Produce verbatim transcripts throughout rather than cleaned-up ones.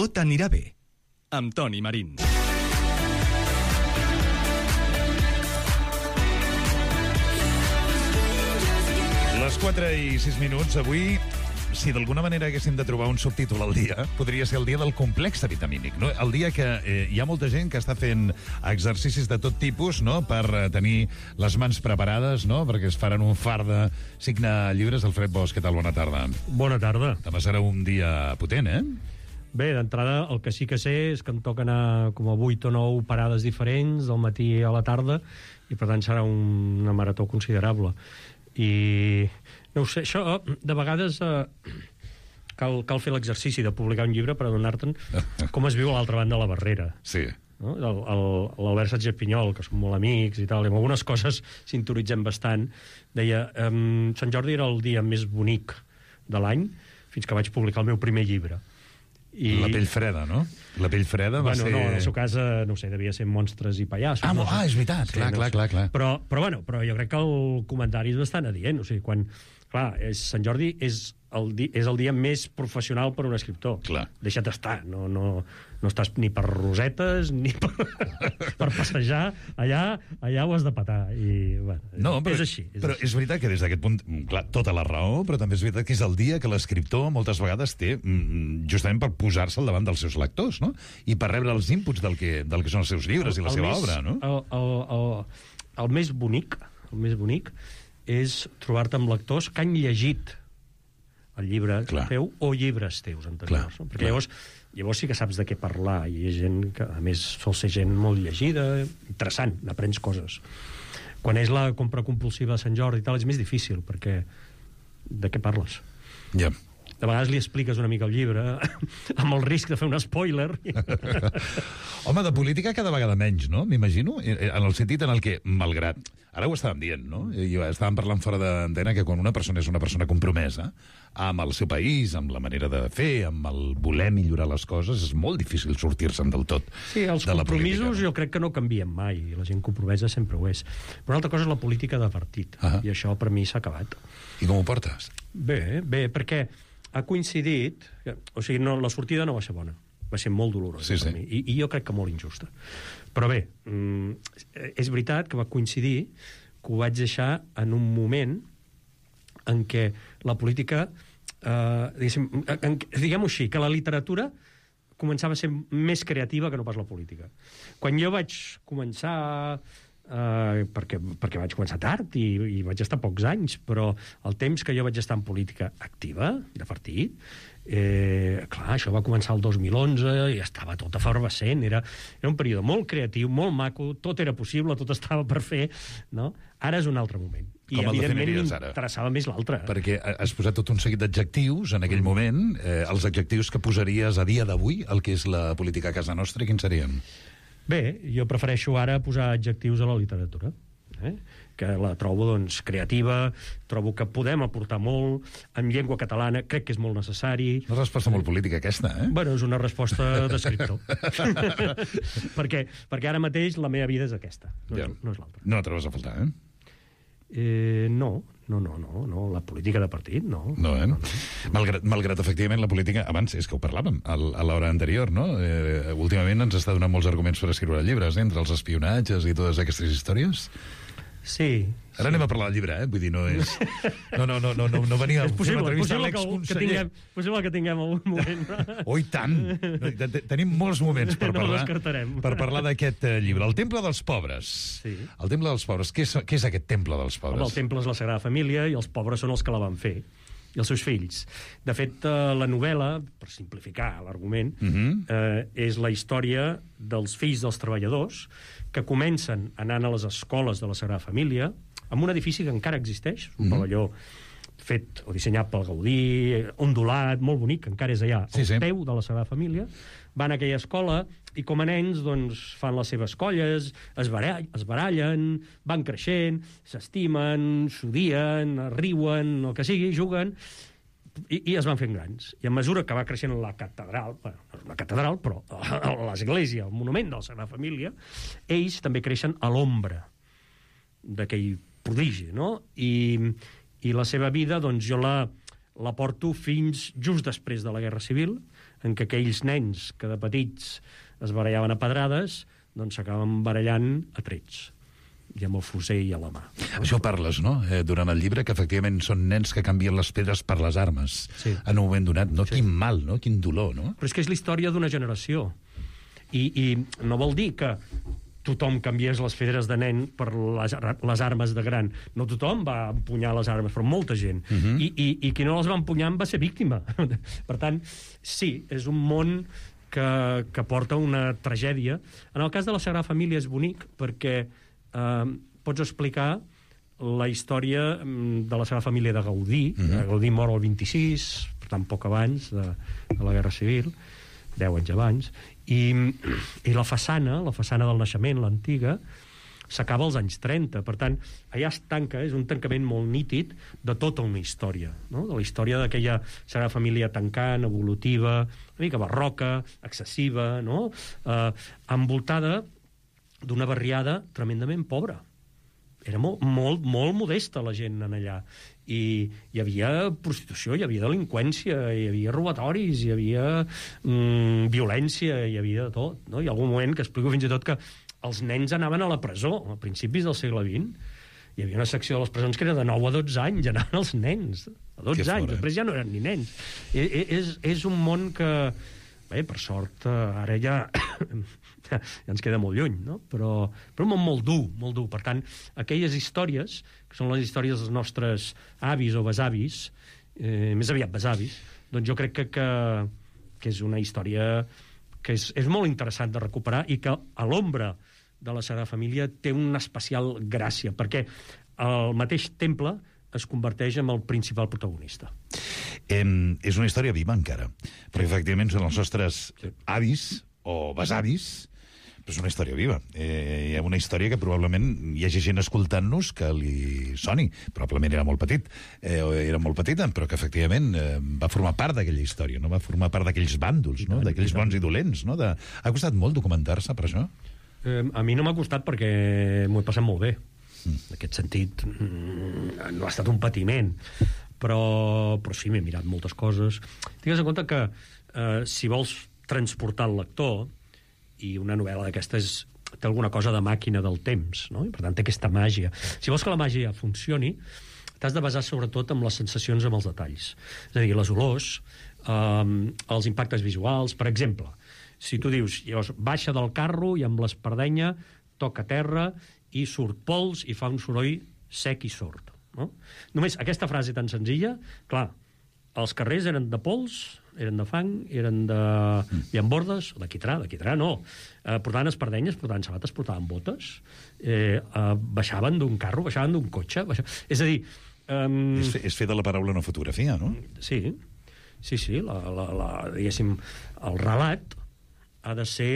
Tot anirà bé, amb Toni Marín. Les quatre i sis minuts, avui, si d'alguna manera haguéssim de trobar un subtítol al dia, podria ser el dia del complex vitamínic, no? El dia que eh, hi ha molta gent que està fent exercicis de tot tipus, no?, per eh, tenir les mans preparades, no?, perquè es faran un far de signar llibres. Alfred Bosch, què tal? Bona tarda. Bona tarda. Demà serà un dia potent, eh? Bé, d'entrada, el que sí que sé és que em toca anar com a vuit o nou parades diferents, del matí a la tarda, i per tant serà un, una marató considerable. I no ho sé, això de vegades eh, cal, cal fer l'exercici de publicar un llibre per adonar-te'n com es viu a l'altra banda de la barrera. Sí. No? L'Albert Sánchez Pinyol, que som molt amics i tal, i amb algunes coses sintonitzem bastant, deia um, Sant Jordi era el dia més bonic de l'any fins que vaig publicar el meu primer llibre. I... La pell freda, no? La pell freda va bueno, ser... no, en el seu cas, eh, no sé, devia ser Monstres i Pallassos. Ah, no ah és veritat, sí, clar, no clar, sé. clar, clar. Però, però, bueno, però jo crec que el comentari és bastant adient. O sigui, quan... Clar, és, Sant Jordi és el, di, és el dia més professional per un escriptor. Clar. Deixa't estar. No, no, no estàs ni per rosetes ni per, per passejar. Allà, allà ho has de petar. I, bueno, no, però, és així. És però així. és veritat que des d'aquest punt, clar, tota la raó, però també és veritat que és el dia que l'escriptor moltes vegades té justament per posar-se al davant dels seus lectors, no? I per rebre els inputs del que, del que són els seus llibres el, i la seva més, obra, no? El, el, el, el més bonic, el més bonic és trobar-te amb lectors que han llegit el llibre clar. Teu o llibres teus anteriors. No? Perquè llavors, llavors sí que saps de què parlar, i hi ha gent que, a més, sol ser gent molt llegida, interessant, n'aprens coses. Quan és la compra compulsiva de Sant Jordi i tal, és més difícil, perquè de què parles? Ja. Yeah. De vegades li expliques una mica el llibre amb el risc de fer un spoiler. Home, de política cada vegada menys, no? M'imagino, en el sentit en el que, malgrat... Ara ho estàvem dient, no? I estàvem parlant fora d'antena que quan una persona és una persona compromesa amb el seu país, amb la manera de fer, amb el voler millorar les coses, és molt difícil sortir-se'n del tot. Sí, els de compromisos política, no? Jo crec que no canvien mai, i la gent compromesa sempre ho és. Però una altra cosa és la política de partit, uh -huh. i això per mi s'ha acabat. I com ho portes? Bé, bé, perquè ha coincidit... O sigui, no, la sortida no va ser bona. Va ser molt dolorosa sí, per sí. mi. I, I jo crec que molt injusta. Però bé, mm, és veritat que va coincidir que ho vaig deixar en un moment en què la política... Eh, diguem-ho així, que la literatura començava a ser més creativa que no pas la política. Quan jo vaig començar... Uh, perquè, perquè vaig començar tard i, i vaig estar pocs anys, però el temps que jo vaig estar en política activa, de partit, eh, clar, això va començar el dos mil onze i estava tot efervescent, era, era un període molt creatiu, molt maco, tot era possible, tot estava per fer, no? Ara és un altre moment. I, com evidentment, m'interessava més l'altre. Perquè has posat tot un seguit d'adjectius en aquell moment. Eh, els adjectius que posaries a dia d'avui, el que és la política a casa nostra, quins serien? Bé, jo prefereixo ara posar adjectius a la literatura, eh? Que la trobo, doncs, creativa, trobo que podem aportar molt, en llengua catalana crec que és molt necessari. Una resposta molt política, aquesta, eh? Bueno, és una resposta d'escriptor. perquè, perquè ara mateix la meva vida és aquesta, no, ja. és, no és l'altra. No trobes a faltar, eh? Eh, no, no, no, no, no, la política de partit, no. No, eh? No, no. Malgrat, malgrat, efectivament, la política... Abans, és que ho parlàvem al, a l'hora anterior, no? Eh, últimament ens està donant molts arguments per escriure llibres, eh? Entre els espionatges i totes aquestes històries. Sí. Ara sí. Anem a parlar del llibre, eh? Vull dir, no és... No, no, no, no, no, no venia... És possible, possible que, que tinguem, possible que tinguem algun moment. Oh, i tant! Tenim molts moments per no parlar, per parlar d'aquest uh, llibre. El Temple dels Pobres. Sí. El Temple dels Pobres. Què és, què és aquest Temple dels Pobres? Home, el Temple és la Sagrada Família i els pobres són els que la van fer. I els seus fills. De fet, uh, la novel·la, per simplificar l'argument, uh -huh. uh, és la història dels fills dels treballadors que comencen anant a les escoles de la Sagrada Família amb un edifici que encara existeix, un uh -huh. pavelló fet o dissenyat pel Gaudí, ondulat, molt bonic, que encara és allà, sí, al sí. peu de la Sagrada Família, van a aquella escola i com a nens doncs, fan les seves colles, es, barall, es barallen, van creixent, s'estimen, s'odien, riuen, el que sigui, juguen, i, i es van fent grans. I a mesura que va creixent la catedral, bueno, no és una catedral, però l'església, el monument de la Sagrada Família, ells també creixen a l'ombra d'aquell prodigi, no? I, i la seva vida, doncs, jo la, la porto fins just després de la Guerra Civil, en què aquells nens que de petits es barallaven a pedrades, doncs s'acaben barallant a trets, i amb el fusell a la mà. Això parles, no?, eh, durant el llibre, que efectivament són nens que canvien les pedres per les armes, sí, en un moment donat, no? Sí. Quin mal, no?, quin dolor, no? Però és que és la història d'una generació. I, I no vol dir que tothom canviés les pedres de nen per les, les armes de gran. No tothom va empunyar les armes, però molta gent. Uh -huh. I, i, I qui no les va empunyar va ser víctima. Per tant, sí, és un món que, que porta una tragèdia. En el cas de la Sagrada Família és bonic perquè eh, pots explicar la història de la Sagrada Família de Gaudí. Uh -huh. Gaudí mor el vint-i-sis, per tant, poc abans de, de la Guerra Civil, deu anys abans, i, i la façana, la façana del naixement, l'antiga, s'acaba als anys trenta. Per tant, allà es tanca, és un tancament molt nítid de tota una història, no? De la història d'aquella Sagrada Família tancant, evolutiva, una mica barroca, excessiva, no? Eh, envoltada d'una barriada tremendament pobra. Era molt, molt, molt modesta la gent en allà. I hi havia prostitució, hi havia delinqüència, hi havia robatoris, hi havia mm, violència, hi havia de tot, no? Hi ha algun moment que explico fins i tot que els nens anaven a la presó a principis del segle vint. Hi havia una secció de les presons que era de nou a dotze anys, anaven els nens, a dotze anys, després ja no eren ni nens. I, és, és un món que, bé, per sort, ara ja... ja ens queda molt lluny, no? Però, però un món molt dur, molt dur. Per tant, aquelles històries, que són les històries dels nostres avis o besavis, eh, més aviat besavis, doncs jo crec que, que, que és una història que és, és molt interessant de recuperar i que a l'ombra de la Sagrada Família té una especial gràcia, perquè el mateix temple es converteix en el principal protagonista. Eh, és una història viva encara, perquè efectivament són els nostres avis o besavis, però és una història viva. Eh, hi ha una història que probablement hi hagi gent escoltant-nos que li soni. Probablement era molt petit, eh, era molt petita, però que efectivament eh, va formar part d'aquella història, no? Va formar part d'aquells bàndols, no? D'aquells bons i dolents, no? De... Ha costat molt documentar-se per això? Eh, a mi no m'ha costat perquè m'ho he passat molt bé. Mm. En aquest sentit, mm, no ha estat un patiment, però, però sí, m'he mirat moltes coses. Tingues en compte que eh, si vols transportar el lector, i una novel·la d'aquestes té alguna cosa de màquina del temps, no? I per tant té aquesta màgia. Si vols que la màgia funcioni, t'has de basar sobretot en les sensacions, amb els detalls. És a dir, les olors, eh, els impactes visuals. Per exemple, si tu dius, llavors, baixa del carro i amb l'espardenya toca terra i surt pols i fa un soroll sec i sord, no? Només aquesta frase tan senzilla, clar, els carrers eren de pols, eren de fang, eren de llambordes, de quitrà, de quitrà no. Eh, portaven espardenyes, portaven sabates, portaven botes, eh, eh, baixaven d'un carro, baixaven d'un cotxe... Baixaven... És a dir... Um... És, fe, és fer de la paraula una fotografia, no? Sí, sí, sí. La, la, la, diguéssim, el relat ha de ser,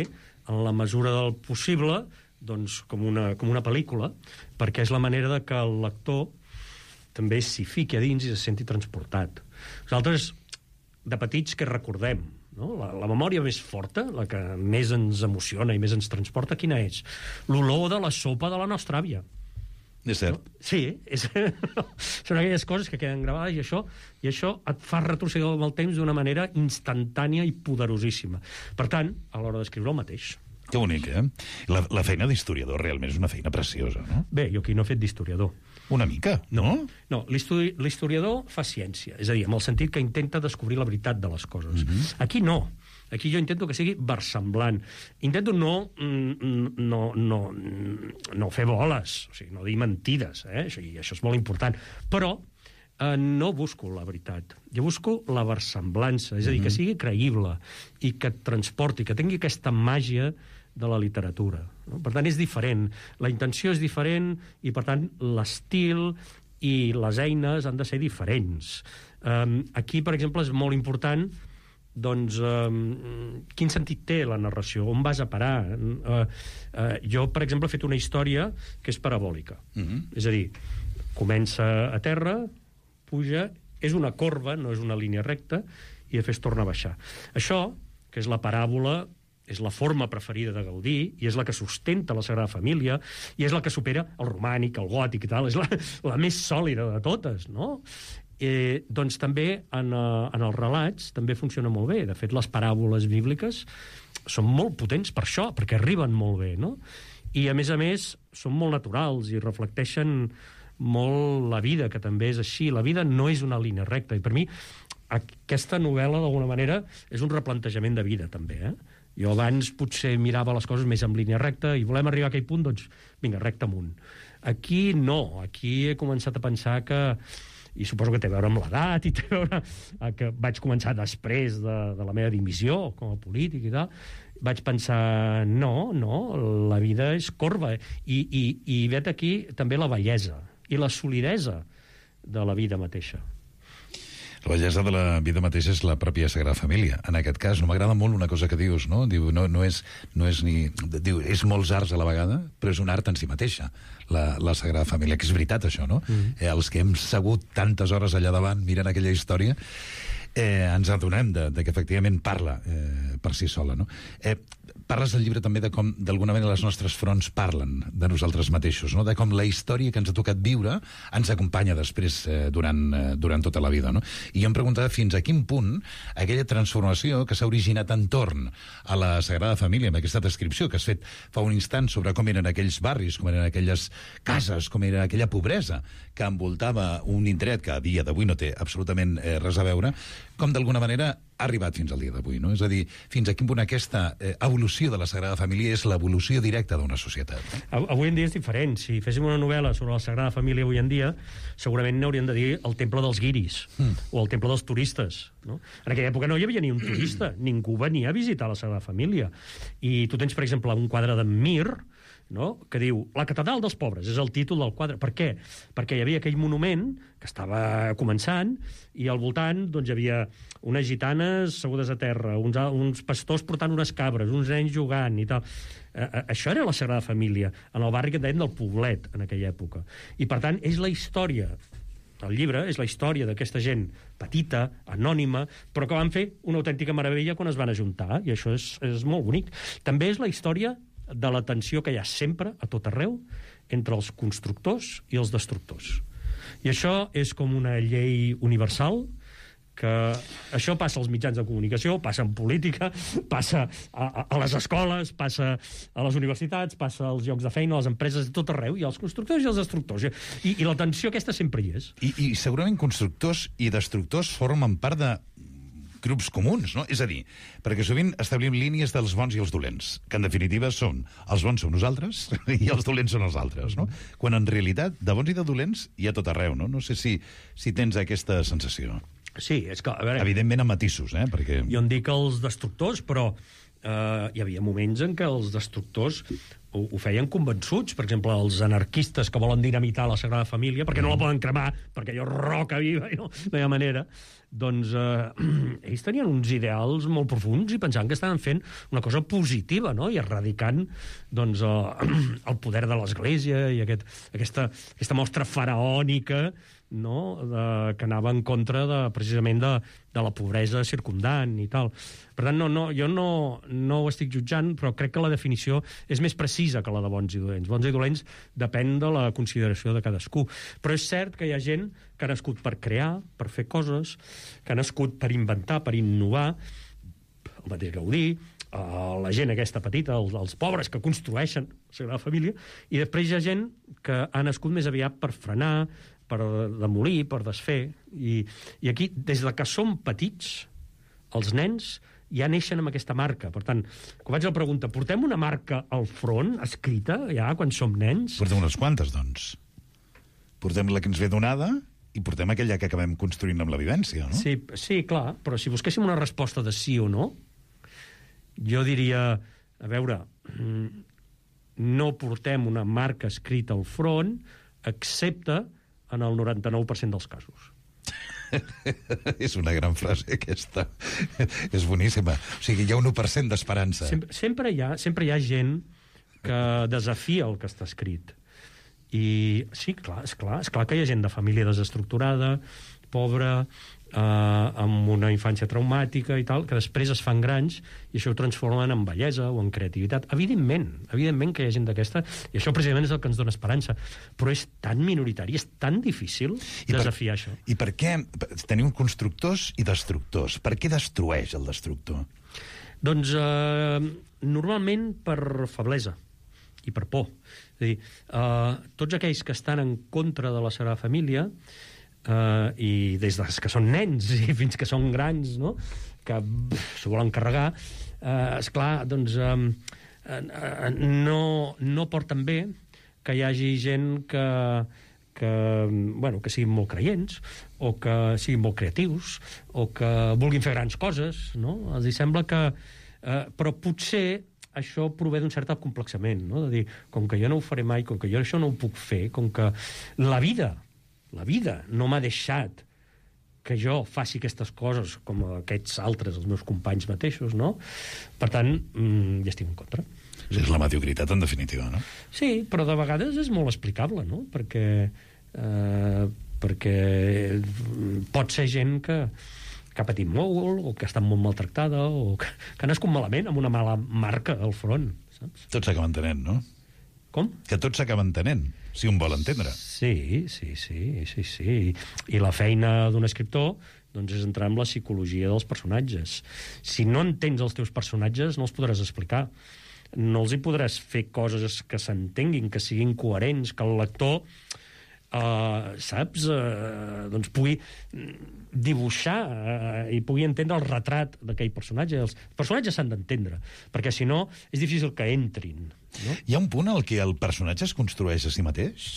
en la mesura del possible, doncs, com una, com una pel·lícula, perquè és la manera de que el lector també s'hi fiqui a dins i se senti transportat. Nosaltres, de petits, que recordem, no? La, la memòria més forta, la que més ens emociona i més ens transporta, quina és? L'olor de la sopa de la nostra àvia. És cert. No? Sí, és... són aquelles coses que queden gravades i això, i això et fa retrocedir amb el temps d'una manera instantània i poderosíssima. Per tant, a l'hora d'escriure el mateix. Que bonic, eh? La, la feina d'historiador realment és una feina preciosa, no? Bé, jo aquí no he fet d'historiador. Una mica, no? No, l'historiador fa ciència, és a dir, en el sentit que intenta descobrir la veritat de les coses. Uh-huh. Aquí no. Aquí jo intento que sigui versemblant. Intento no, no, no, no fer boles, o sigui, no dir mentides, eh? Això, i això és molt important. Però eh, no busco la veritat. Jo busco la versemblança, és a dir, que sigui creïble i que et transporti, que tingui aquesta màgia de la literatura, no? Per tant, és diferent. La intenció és diferent i, per tant, l'estil i les eines han de ser diferents. Um, aquí, per exemple, és molt important doncs, um, quin sentit té la narració, on vas a parar. Uh, uh, jo, per exemple, he fet una història que és parabòlica. Uh-huh. És a dir, comença a terra, puja, és una corba, no és una línia recta, i després torna a baixar. Això, que és la paràbola, és la forma preferida de Gaudí, i és la que sustenta la Sagrada Família, i és la que supera el romànic, el gòtic i tal, és la, la més sòlida de totes, no? Eh, doncs també en, uh, en els relats també funciona molt bé. De fet, les paràboles bíbliques són molt potents per això, perquè arriben molt bé, no? I, a més a més, són molt naturals i reflecteixen molt la vida, que també és així. La vida no és una línia recta. I per mi, aquesta novel·la, d'alguna manera, és un replantejament de vida, també, eh? Jo abans potser mirava les coses més en línia recta i volem arribar a aquell punt, doncs, vinga, recte amunt. Aquí no. Aquí he començat a pensar que, i suposo que té a veure amb l'edat, i té a veure que vaig començar després de, de la meva dimissió com a polític i tal, vaig pensar, no, no, la vida és corba. I, i, i vet aquí també la bellesa i la solidesa de la vida mateixa. La bellesa de la vida mateixa és la pròpia Sagrada Família. En aquest cas, no m'agrada molt una cosa que dius, no? Diu, no, no, és, no és ni... Diu, és molts arts a la vegada, però és un art en si mateixa, la, la Sagrada Família, que és veritat, això, no? Mm. Eh, els que hem segut tantes hores allà davant mirant aquella història, eh, ens adonem de, de que efectivament parla eh, per si sola, no? Eh, parles del llibre també de com, d'alguna manera, les nostres fronts parlen de nosaltres mateixos, no? De com la història que ens ha tocat viure ens acompanya després eh, durant, eh, durant tota la vida, no? I jo em preguntava fins a quin punt aquella transformació que s'ha originat entorn a la Sagrada Família, amb aquesta descripció que has fet fa un instant sobre com eren aquells barris, com eren aquelles cases, com era aquella pobresa que envoltava un indret que a dia d'avui no té absolutament eh, res a veure, com d'alguna manera ha arribat fins al dia d'avui, no? És a dir, fins a quin punt aquesta eh, evolució de la Sagrada Família és l'evolució directa d'una societat. No? Avui en dia és diferent. Si féssim una novel·la sobre la Sagrada Família avui en dia, segurament n'hauríem de dir el temple dels guiris, mm. o el temple dels turistes, no? En aquella època no hi havia ni un turista, ningú venia a visitar la Sagrada Família. I tu tens, per exemple, un quadre d'en Mir, no?, que diu La catedral dels pobres, és el títol del quadre. Per què? Perquè hi havia aquell monument que estava començant i al voltant doncs, hi havia unes gitanes segudes a terra, uns, uns pastors portant unes cabres, uns nens jugant i tal. Eh, això era la Sagrada Família, en el barri que en deien del Poblet, en aquella època. I, per tant, és la història, el llibre és la història d'aquesta gent petita, anònima, però que van fer una autèntica meravella quan es van ajuntar, i això és, és molt bonic. També és la història de la tensió que hi ha sempre, a tot arreu, entre els constructors i els destructors. I això és com una llei universal, que això passa als mitjans de comunicació, passa en política, passa a, a, a les escoles, passa a les universitats, passa als llocs de feina, a les empreses, de tot arreu, i els constructors i els destructors. I, i la tensió aquesta sempre hi és. I, I segurament constructors i destructors formen part de grups comuns, no? És a dir, perquè sovint establim línies dels bons i els dolents, que en definitiva són els bons som nosaltres i els dolents són els altres, no? Quan en realitat de bons i de dolents hi ha tot arreu, no? No sé si, si tens aquesta sensació. Sí, és que... A veure, evidentment amb matisos, eh? Perquè... Jo en dic els destructors, però eh, hi havia moments en què els destructors ho, ho feien convençuts. Per exemple, els anarquistes que volen dinamitar la Sagrada Família, perquè no la poden cremar, perquè allò roca viva i no, no hi ha manera, doncs eh, ells tenien uns ideals molt profuns i pensaven que estaven fent una cosa positiva, no? I erradicant doncs, eh, el poder de l'Església i aquest, aquesta, aquesta mostra faraònica, no? De, que anava en contra de, precisament de, de la pobresa circumdant i tal. Per tant, no, no, jo no, no ho estic jutjant, però crec que la definició és més precisa que la de bons i dolents. Bons i dolents depèn de la consideració de cadascú. Però és cert que hi ha gent que ha nascut per crear, per fer coses, que ha nascut per inventar, per innovar, el mateix Gaudí, la gent aquesta petita, els, els pobres que construeixen la Sagrada Família, i després hi ha gent que ha nascut més aviat per frenar, per demolir, per desfer. I, i aquí, des de que som petits, els nens ja neixen amb aquesta marca. Per tant, quan vaig a la pregunta, portem una marca al front, escrita, ja, quan som nens? Portem unes quantes, doncs. Portem la que ens ve donada i portem aquella que acabem construint amb la vivència, no? Sí, sí, clar, però si busquéssim una resposta de sí o no, jo diria, a veure, no portem una marca escrita al front, excepte en el noranta-nou per cent dels casos. És una gran frase, aquesta. És boníssima. O sigui, hi ha un u per cent d'esperança. Sempre, sempre, hi ha, sempre hi ha gent que desafia el que està escrit. I sí, clar, és clar, és clar que hi ha gent de família desestructurada, pobra, amb una infància traumàtica i tal, que després es fan grans i això ho transformen en bellesa o en creativitat. Evidentment, evidentment que hi ha gent d'aquesta, i això precisament és el que ens dona esperança, però és tan minoritari, és tan difícil I desafiar per, això. I per què tenim constructors i destructors? Per què destrueix el destructor? Doncs eh, normalment per feblesa i per por. És a dir, eh, tots aquells que estan en contra de la Sagrada Família, Uh, i des de que són nens i fins que són grans, no?, que s'ho volen carregar, uh, esclar, doncs um, uh, uh, no, no porten bé que hi hagi gent que, que, bueno, que siguin molt creients o que siguin molt creatius o que vulguin fer grans coses, no? Els hi sembla que... Uh, però potser això prové d'un cert acomplexament, no?, de dir, com que jo no ho faré mai, com que jo això no ho puc fer, com que la vida la vida no m'ha deixat que jo faci aquestes coses com aquests altres, els meus companys mateixos, no? Per tant, mmm, ja estic en contra. És la mediocritat, en definitiva, no? Sí, però de vegades és molt explicable, no? Perquè, eh, perquè pot ser gent que, que ha patit molt, o que ha estat molt maltractada, o que, que ha nascut malament, amb una mala marca al front, saps? Tots s'acaben entenent, no? Com? Que tots s'acaben entenent, si un vol entendre. Sí, sí, sí, sí, sí. I la feina d'un escriptor doncs, és entrar en la psicologia dels personatges. Si no entens els teus personatges, no els podràs explicar. No els hi podràs fer coses que s'entenguin, que siguin coherents, que el lector... Uh, saps, uh, doncs pugui dibuixar uh, i pugui entendre el retrat d'aquell personatge. Els personatges s'han d'entendre, perquè si no és difícil que entrin, no? Hi ha un punt en què el personatge es construeix a si mateix?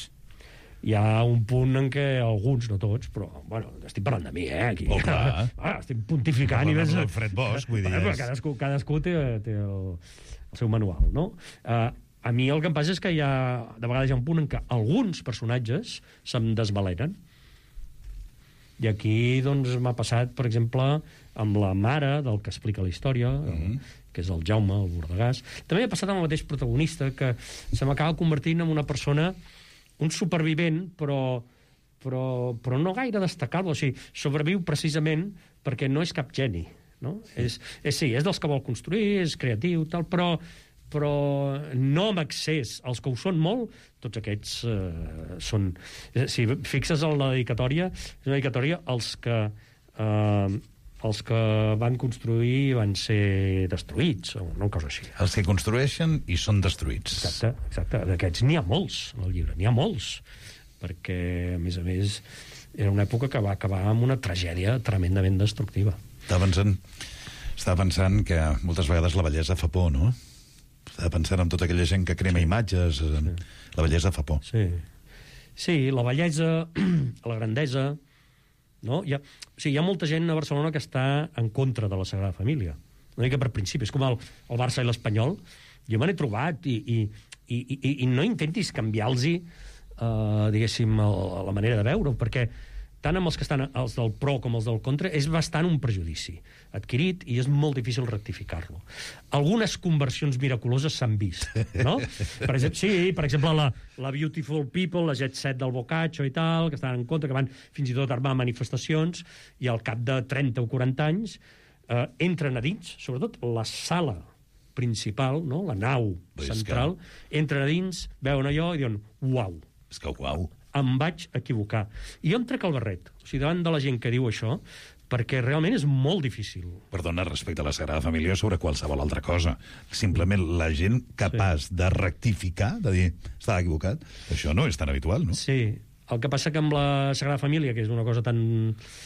Hi ha un punt en què alguns, no tots, però, bueno, estic parlant de mi, eh, aquí. Oh, clar. Ah, estic pontificant. No, i ves... Fred Bosch, vull dir... Bueno, és... cadascú, cadascú té, té el, el seu manual, no? Uh, A mi el que em passa és que hi ha, de vegades hi ha un punt en què alguns personatges se'm desvaleren. I aquí, doncs, m'ha passat, per exemple, amb la mare del que explica la història, mm-hmm. que és el Jaume, el Bordegàs. També ha passat amb el mateix protagonista, que se m'acaba convertint en una persona, un supervivent, però, però, però no gaire destacable. O sigui, sobreviu precisament perquè no és cap geni, no? Sí. És, és, sí, és dels que vol construir, és creatiu, tal, però... però no amb accés. Els que ho són molt, tots aquests eh, són... Si fixes en la dedicatòria, és una dedicatòria als que, eh, els que van construir van ser destruïts, o una cosa així. Els que construeixen i són destruïts. Exacte, exacte. D'aquests n'hi ha molts, en el llibre, n'hi ha molts. Perquè, a més a més, era una època que va acabar amb una tragèdia tremendament destructiva. Estava pensant, estava pensant que moltes vegades la bellesa fa por, no? Estava pensant en tota aquella gent que crema sí. imatges. Sí. La bellesa fa por. Sí, sí, la bellesa, la grandesa... No? Hi ha, o sigui, hi ha molta gent a Barcelona que està en contra de la Sagrada Família. Una mica per principi. És com el, el Barça i l'Espanyol. Jo me n'he trobat i, i, i, i, i no intentis canviar-los, uh, diguéssim, el, la manera de veure-ho, perquè tant amb els que estan els del pro com els del contra, és bastant un prejudici adquirit i és molt difícil rectificar-lo. Algunes conversions miraculoses s'han vist, no? Per exemple, sí, per exemple, la, la Beautiful People, la Jet Set del Boccaccio i tal, que estan en contra, que van fins i tot armar manifestacions, i al cap de trenta o quaranta anys eh, entren a dins, sobretot la sala principal, no? La nau central, que... entren a dins, veuen allò i diuen, uau. És que uau. Em vaig equivocar. I jo em trec el barret, o sigui, davant de la gent que diu això, perquè realment és molt difícil. Perdona, respecte a la Sagrada Família sobre qualsevol altra cosa. Simplement la gent capaç sí. de rectificar, de dir, estava equivocat, això no és tan habitual, no? Sí. El que passa que amb la Sagrada Família, que és una cosa tan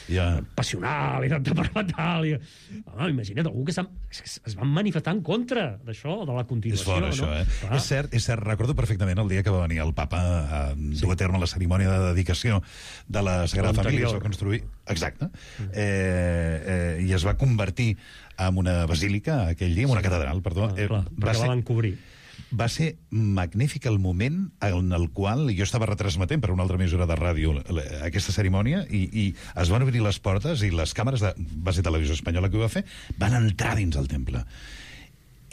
ja. passional i tan temperamental... I... Ah, imagina't, algú que es van manifestar en contra d'això, de la continuació. És fort, això, no? eh? És cert, és cert, recordo perfectament el dia que va venir el papa a sí. dur a terme la cerimònia de dedicació de la Sagrada Família. Es va construir... Exacte. Mm. Eh, eh, I es va convertir en una basílica aquell dia, en una sí. catedral, perdó. Ah, clar, eh, perquè ser... la van cobrir. Va ser magnífic el moment en el qual jo estava retransmetent per una altra emissora de ràdio aquesta cerimònia i, i es van obrir les portes i les càmeres de base televisió espanyola que ho va fer van entrar dins el temple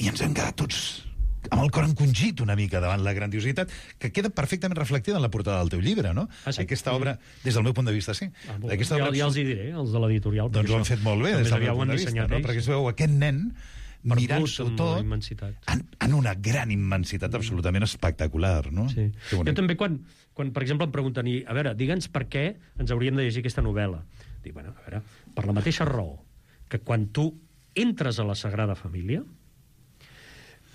i ens vam quedar tots amb el cor encongit una mica davant la grandiositat, que queda perfectament reflectida en la portada del teu llibre, no? Ah, sí? Aquesta obra, des del meu punt de vista, sí. Ah, bon. Aquesta ja, obra... ja els hi diré, els de l'editorial. Doncs ho han fet molt bé, des del meu punt de vista, no? Perquè es veu aquest nen mirant-s'ho tot en, en una gran immensitat absolutament espectacular, no? Sí. Jo també, quan, quan, per exemple, em pregunten, a veure, digue'ns per què ens hauríem de llegir aquesta novel·la. Dic, bueno, a veure, per la mateixa raó que quan tu entres a la Sagrada Família,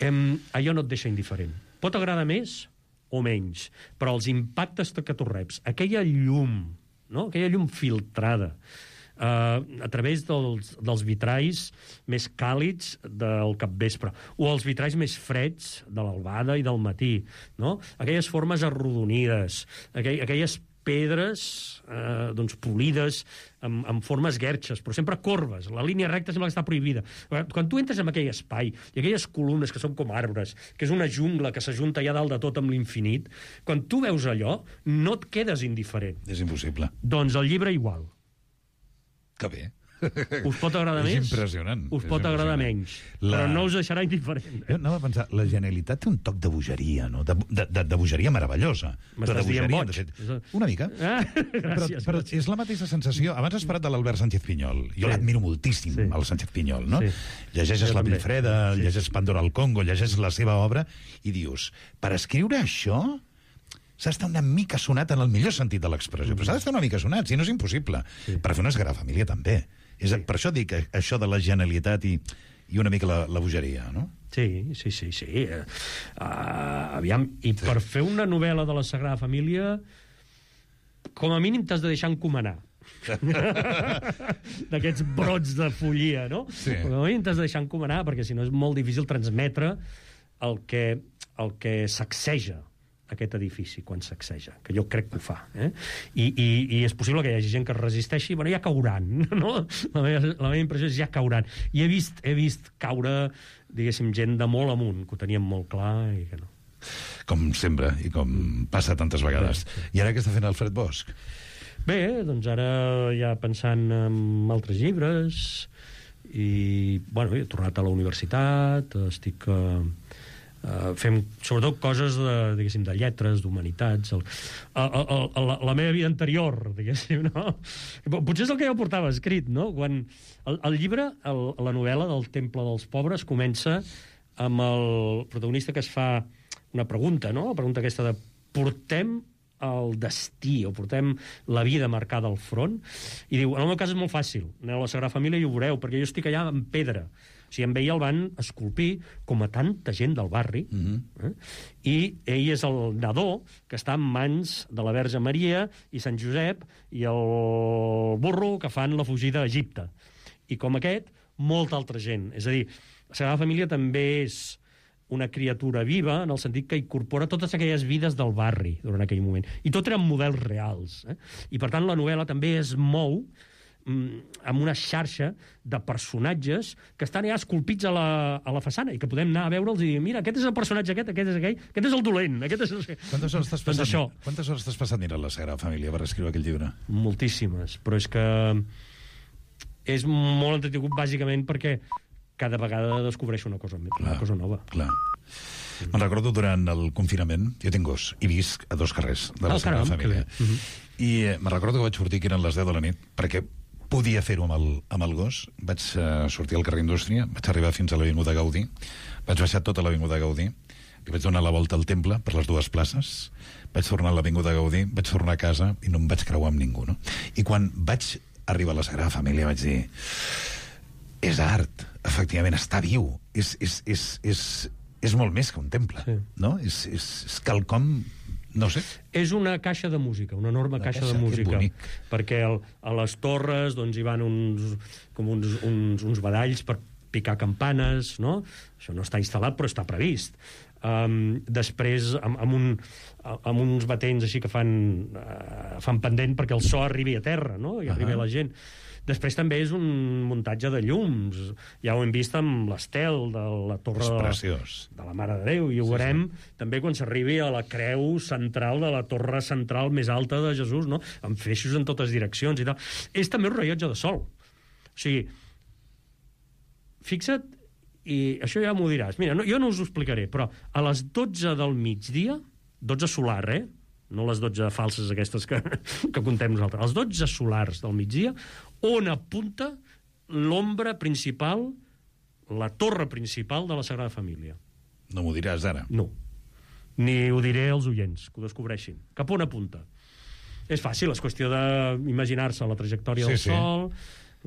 em, allò no et deixa indiferent. Pot agradar més o menys, però els impactes que tu reps, aquella llum, no? Aquella llum filtrada, Uh, a través dels, dels vitralls més càlids del capvespre, o els vitralls més freds de l'albada i del matí, no? Aquelles formes arrodonides, aquell, aquelles pedres eh, doncs polides amb, amb formes guerxes, però sempre corbes, la línia recta sembla que està prohibida. Quan tu entres en aquell espai i aquelles columnes que són com arbres, que és una jungla que s'ajunta allà dalt de tot amb l'infinit, quan tu veus allò no et quedes indiferent. És impossible. Doncs el llibre igual. Que bé. Us pot agradar és més? impressionant. Us pot agradar menys. La... Però no us deixarà indiferent. Jo anava a pensar, la genialitat té un toc de bogeria, no? De, de, de, de bogeria meravellosa. M'estàs dient boig? De fet, una mica. Ah, gràcies. Però, però és la mateixa sensació. Abans has parlat de l'Albert Sánchez Pinyol. Jo sí. l'admiro moltíssim, sí. el Sánchez Pinyol, no? Sí. Llegeixes jo La també. Vilfreda, sí. llegeixes Pandora al Congo, llegeixes la seva obra i dius, per escriure això s'ha d'estar una mica sonat en el millor sentit de l'expressió, però s'ha d'estar una mica sonat, si no és impossible. Sí. Per fer una Sagrada Família també. És, sí. Per això dic això de la genialitat i, i una mica la, la bogeria, no? Sí, sí, sí, sí. Uh, aviam, i sí. per fer una novel·la de la Sagrada Família, com a mínim t'has de deixar encomanar. D'aquests brots de follia, no? Sí. Com a mínim t'has de deixar encomanar, perquè si no és molt difícil transmetre el que, el que sacseja aquest edifici quan sacseja, que jo crec que ho fa. Eh? I, i, I és possible que hi hagi gent que es resisteixi, bueno, ja cauran, no? La meva, la meva impressió és ja cauran. I he vist, he vist caure, diguéssim, gent de molt amunt, que ho tenien molt clar i que no. Com sempre, i com passa tantes vegades. Sí, sí. I ara què està fent Alfred Bosch? Bé, doncs ara ja pensant en altres llibres i, bueno, he tornat a la universitat, estic... Uh, Uh, fem sobretot coses de, diguéssim, de lletres, d'humanitats, el, el, el, el, la meva vida anterior, diguéssim, no? Potser és el que jo portava escrit, no? Quan el, el llibre, el, la novel·la del Temple dels Pobres comença amb el protagonista que es fa una pregunta, no? La pregunta aquesta de portem el destí, o portem la vida marcada al front, i diu, en el meu cas és molt fàcil, aneu a la Sagrada Família i ho veureu, perquè jo estic allà en pedra. O sigui, amb ell el van esculpir com a tanta gent del barri, mm-hmm. eh? I ell és el nadó que està en mans de la Verge Maria i Sant Josep i el burro que fan la fugida a Egipte. I com aquest, molta altra gent. És a dir, la Sagrada Família també és una criatura viva, en el sentit que incorpora totes aquelles vides del barri durant aquell moment. I tot eren models reals. Eh? I, per tant, la novel·la també es mou amb una xarxa de personatges que estan ja esculpits a la, a la façana i que podem anar a veure'ls i dir, mira, aquest és el personatge aquest, aquest és aquell, aquest és el dolent, aquest és... Quantes hores t'has passat, doncs quantes hores t'has passat mirant la Sagrada Família per escriure aquell llibre? Moltíssimes, però és que és molt entretingut bàsicament perquè cada vegada descobreixo una cosa, clar, una cosa nova. Clar. Me'n recordo durant el confinament, jo tinc gos, i visc a dos carrers de la oh, Sagrada Família. Uh-huh. I eh, me'n recordo que vaig sortir que eren les deu de la nit, perquè podia fer-ho amb, el, amb el gos. Vaig uh, sortir al carrer Indústria, vaig arribar fins a l'Avinguda Gaudí, vaig baixar tota l'Avinguda Gaudí, li vaig donar la volta al temple per les dues places, vaig tornar a l'Avinguda Gaudí, vaig tornar a casa i no em vaig creuar amb ningú, no? I quan vaig arribar a la Sagrada Família vaig dir, és art, efectivament, està viu, és, és, és, és, és molt més que un temple, sí. No? És, és, és quelcom... No sé. És una caixa de música, una enorme caixa, caixa de música. Perquè el, a les torres doncs, hi van uns, com uns, uns, uns badalls per picar campanes, no? Això no està instal·lat, però està previst. Um, després, amb, amb, un, amb uns batents així que fan, uh, fan pendent perquè el so arribi a terra, no? I arribi uh-huh. a la gent. Després també és un muntatge de llums. Ja ho hem vist amb l'estel de la torre de la, de la Mare de Déu. I ho sí, veurem sí. també quan s'arribi a la creu central de la torre central més alta de Jesús, no? Amb feixos en totes direccions i tal. És també un rellotge de sol. O sigui, fixa't, i això ja m'ho diràs. Mira, no, jo no us ho explicaré, però a les dotze del migdia, dotze solar, eh? No les dotze falses aquestes que, que contem nosaltres, els dotze solars del migdia, on apunta l'ombra principal, la torre principal de la Sagrada Família. No m'ho diràs ara. No. Ni ho diré als oients, que ho descobreixin. Cap on apunta? És fàcil, és qüestió d'imaginar-se la trajectòria Sí, del sí. Sol,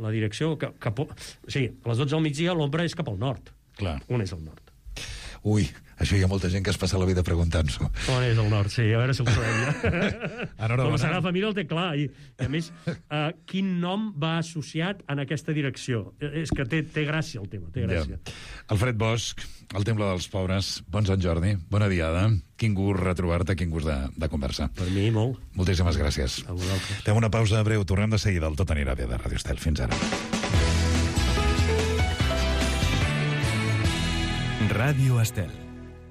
la direcció... Cap, cap, o sigui, a les dotze del migdia l'ombra és cap al nord. Clar. On és el nord? Ui, això hi ha molta gent que es passa la vida preguntant-s'ho. On és el nord? Sí, a veure si el trobem ja. Enhorabona. Com la Sagrada Família el té clar. I, i a més, uh, quin nom va associat en aquesta direcció? És que té, té gràcia el tema, té gràcia. Ja. Alfred Bosch, el Temple dels Pobres, bon Sant Jordi, bona diada. Quin gust retrobar-te, quin gust de, de conversar. Per mi, molt. Moltíssimes gràcies. A vosaltres. Fem una pausa breu, tornem de seguida. El Tot anirà bé de Ràdio Estel. Fins ara. Radio Estel.